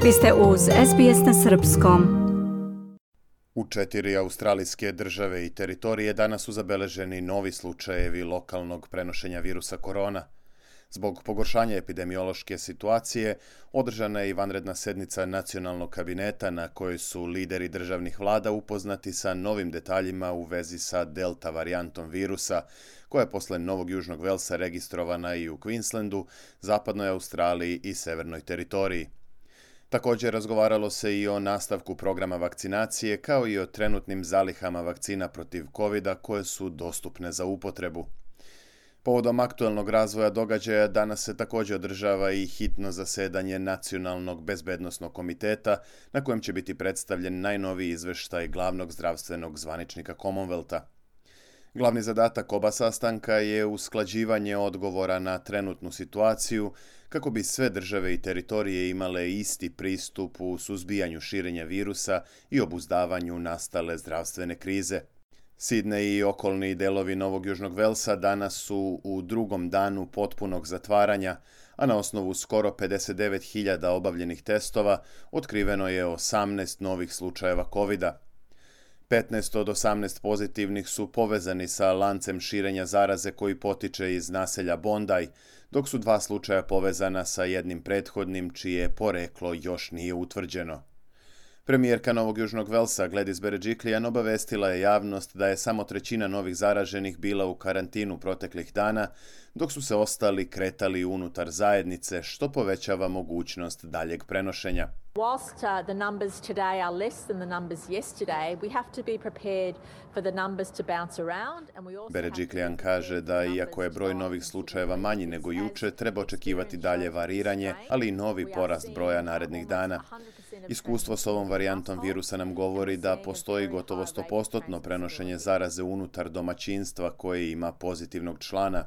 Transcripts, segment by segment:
Vi ste uz SBS na srpskom. U 4 australijske države i teritorije danas su zabeleženi novi slučajevi lokalnog prenošenja virusa korona. Zbog pogoršanja epidemiološke situacije, održana je i vanredna sednica nacionalnog kabineta na kojoj su lideri državnih vlada upoznati sa novim detaljima u vezi sa delta varijantom virusa, koja je posle Novog Južnog Velsa registrovana i u Queenslandu, zapadnoj Australiji i severnoj teritoriji. Također razgovaralo se i o nastavku programa vakcinacije, kao i o trenutnim zalihama vakcina protiv COVID-a koje su dostupne za upotrebu. Povodom aktuelnog razvoja događaja danas se također održava i hitno zasedanje Nacionalnog bezbednosnog komiteta, na kojem će biti predstavljen najnoviji izveštaj glavnog zdravstvenog zvaničnika Commonwealtha. Glavni zadatak oba sastanka je usklađivanje odgovora na trenutnu situaciju kako bi sve države i teritorije imale isti pristup u suzbijanju širenja virusa i obuzdavanju nastale zdravstvene krize. Sidney i okolni delovi Novog Južnog Velsa danas su u drugom danu potpunog zatvaranja, a na osnovu skoro 59.000 obavljenih testova otkriveno je 18 novih slučajeva COVID-a. 15 od 18 pozitivnih su povezani sa lancem širenja zaraze koji potiče iz naselja Bondi, dok su 2 slučaja povezana sa jednim prethodnim čije poreklo još nije utvrđeno. Premijerka Novog Južnog Velsa Gladys Berejiklian obavestila je javnost da je samo 1/3 novih zaraženih bila u karantinu proteklih dana, dok su se ostali kretali unutar zajednice, što povećava mogućnost daljeg prenošenja. Whilst the numbers today are less than the numbers yesterday, we have to be prepared for the numbers to bounce around and we also Berejiklian kaže da iako je broj novih slučajeva manji nego juče, treba očekivati dalje variranje, ali i novi porast broja narednih dana. Iskustvo s ovom varijantom virusa nam govori da postoji gotovo 100% prenošenje zaraze unutar domaćinstva koje ima pozitivnog člana.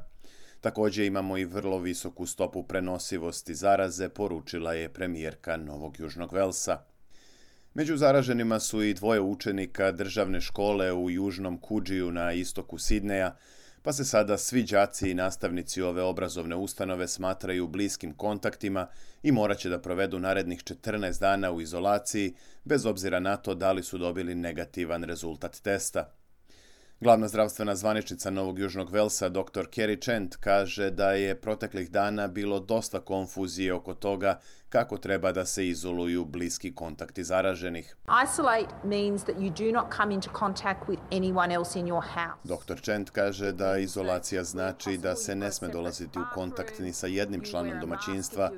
Također imamo i vrlo visoku stopu prenosivosti zaraze, poručila je premijerka Novog Južnog Velsa. Među zaraženima su i 2 učenika državne škole u Južnom Coogee na istoku Sidneja, pa se sada svi đaci i nastavnici ove obrazovne ustanove smatraju bliskim kontaktima i morat će da provedu narednih 14 dana u izolaciji, bez obzira na to da li su dobili negativan rezultat testa. Glavna zdravstvena zvaničnica Novog Južnog Velsa, dr. Kerry Chant, kaže da je proteklih dana bilo dosta konfuzije oko toga kako treba da se izoluju bliski kontakti zaraženih. isolate means that you do not come into contact with anyone else in your house. Dr. Chant kaže da izolacija znači da se ne sme dolaziti u kontakt ni sa jednim članom domaćinstva.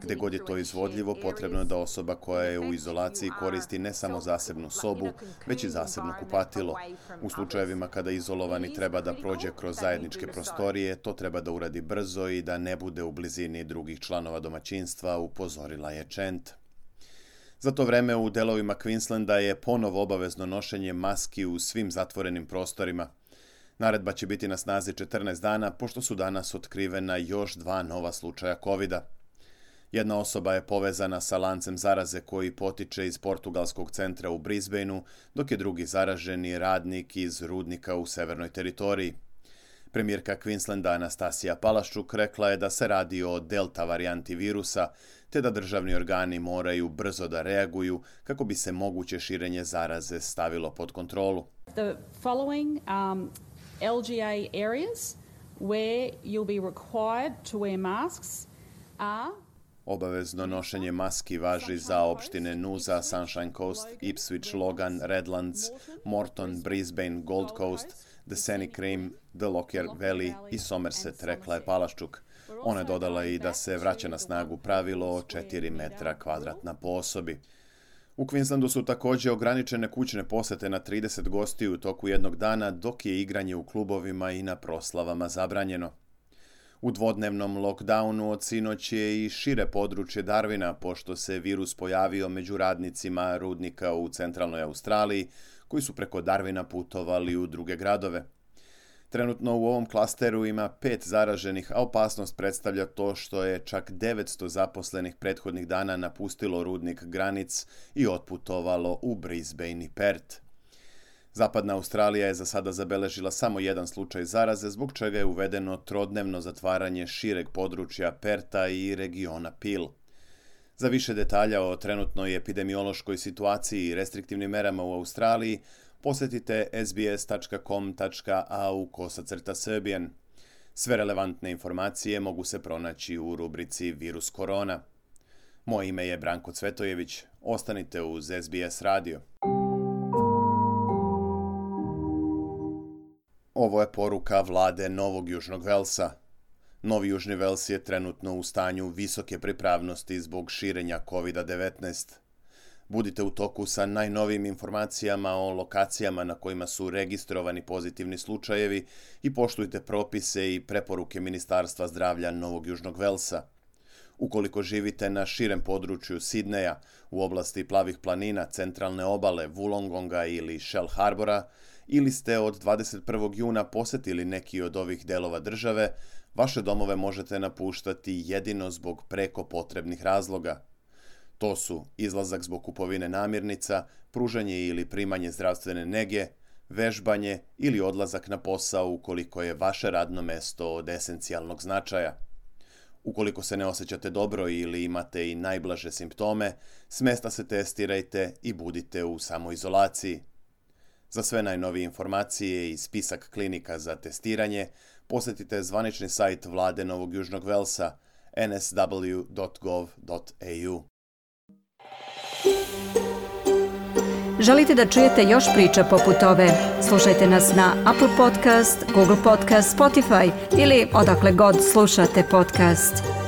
Gde god je to izvodljivo, potrebno je da osoba koja je u izolaciji koristi ne samo zasebnu sobu, već i zasebno kupatilo. U slučajevima kada izolovani treba da prođe kroz zajedničke prostorije, to treba da uradi brzo i da ne bude u blizini drugih članova domaćinstva, upozorila je Chant. Za to vreme u delovima Queenslanda je ponovo obavezno nošenje maski u svim zatvorenim prostorima. Naredba će biti na snazi 14 dana, pošto su danas otkrivena još 2 nova slučaja COVID-a. Jedna osoba je povezana sa lancem zaraze koji potiče iz portugalskog centra u Brisbaneu, dok je drugi zaraženi radnik iz rudnika u severnoj teritoriji. Premijerka Queenslanda Anastasija Palaszczuk rekla je da se radi o delta varijanti virusa, te da državni organi moraju brzo da reaguju kako bi se moguće širenje zaraze stavilo pod kontrolu. The following LGA areas where you'll be required to wear masks are Obavezno nošenje maski važi za opštine Noosa, Sunshine Coast, Ipswich, Logan, Redlands, Moreton, Brisbane, Gold Coast, The Scenic Rim, The Lockyer Valley i Somerset, rekla je Palaszczuk. Ona je dodala i da se vraća na snagu pravilo o 4 metra kvadratna po osobi. U Queenslandu su također ograničene kućne posete na 30 gostiju u toku jednog dana, dok je igranje u klubovima i na proslavama zabranjeno. U dvodnevnom lockdownu od sinoć je i šire područje Darwina, pošto se virus pojavio među radnicima rudnika u centralnoj Australiji, koji su preko Darwina putovali u druge gradove. Trenutno u ovom klasteru ima 5 zaraženih, a opasnost predstavlja to što je čak 900 zaposlenih prethodnih dana napustilo rudnik Granic i otputovalo u Brisbane i Perth. Zapadna Australija je za sada zabeležila samo 1 slučaj zaraze, zbog čega je uvedeno trodnevno zatvaranje šireg područja Perta i regiona Peel. Za više detalja o trenutnoj epidemiološkoj situaciji i restriktivnim merama u Australiji posjetite sbs.com.au/Serbian. Sve relevantne informacije mogu se pronaći u rubrici Virus korona. Moje ime je Branko Cvetojević. Ostanite uz SBS radio. Ovo je poruka vlade Novog Južnog Velsa. Novi Južni Vels je trenutno u stanju visoke pripravnosti zbog širenja COVID-19. Budite u toku sa najnovijim informacijama o lokacijama na kojima su registrovani pozitivni slučajevi i poštujte propise i preporuke Ministarstva zdravlja Novog Južnog Velsa. Ukoliko živite na širem području Sidneja, u oblasti Plavih planina, centralne obale, Wollongonga ili Shell Harbora, ili ste od 21. juna posjetili neki od ovih delova države, vaše domove možete napuštati jedino zbog preko potrebnih razloga. To su izlazak zbog kupovine namirnica, pružanje ili primanje zdravstvene nege, vežbanje ili odlazak na posao ukoliko je vaše radno mesto od esencijalnog značaja. Ukoliko se ne osjećate dobro ili imate i najblaže simptome, s mesta se testirajte i budite u samoizolaciji. Za sve najnovije informacije i spisak klinika za testiranje, posjetite zvanični sajt vlade Novog Južnog Velsa nsw.gov.au. Želite da čujete još priča poput ove? Slušajte nas na Apple Podcast, Google Podcast, Spotify ili odakle god slušate podcast.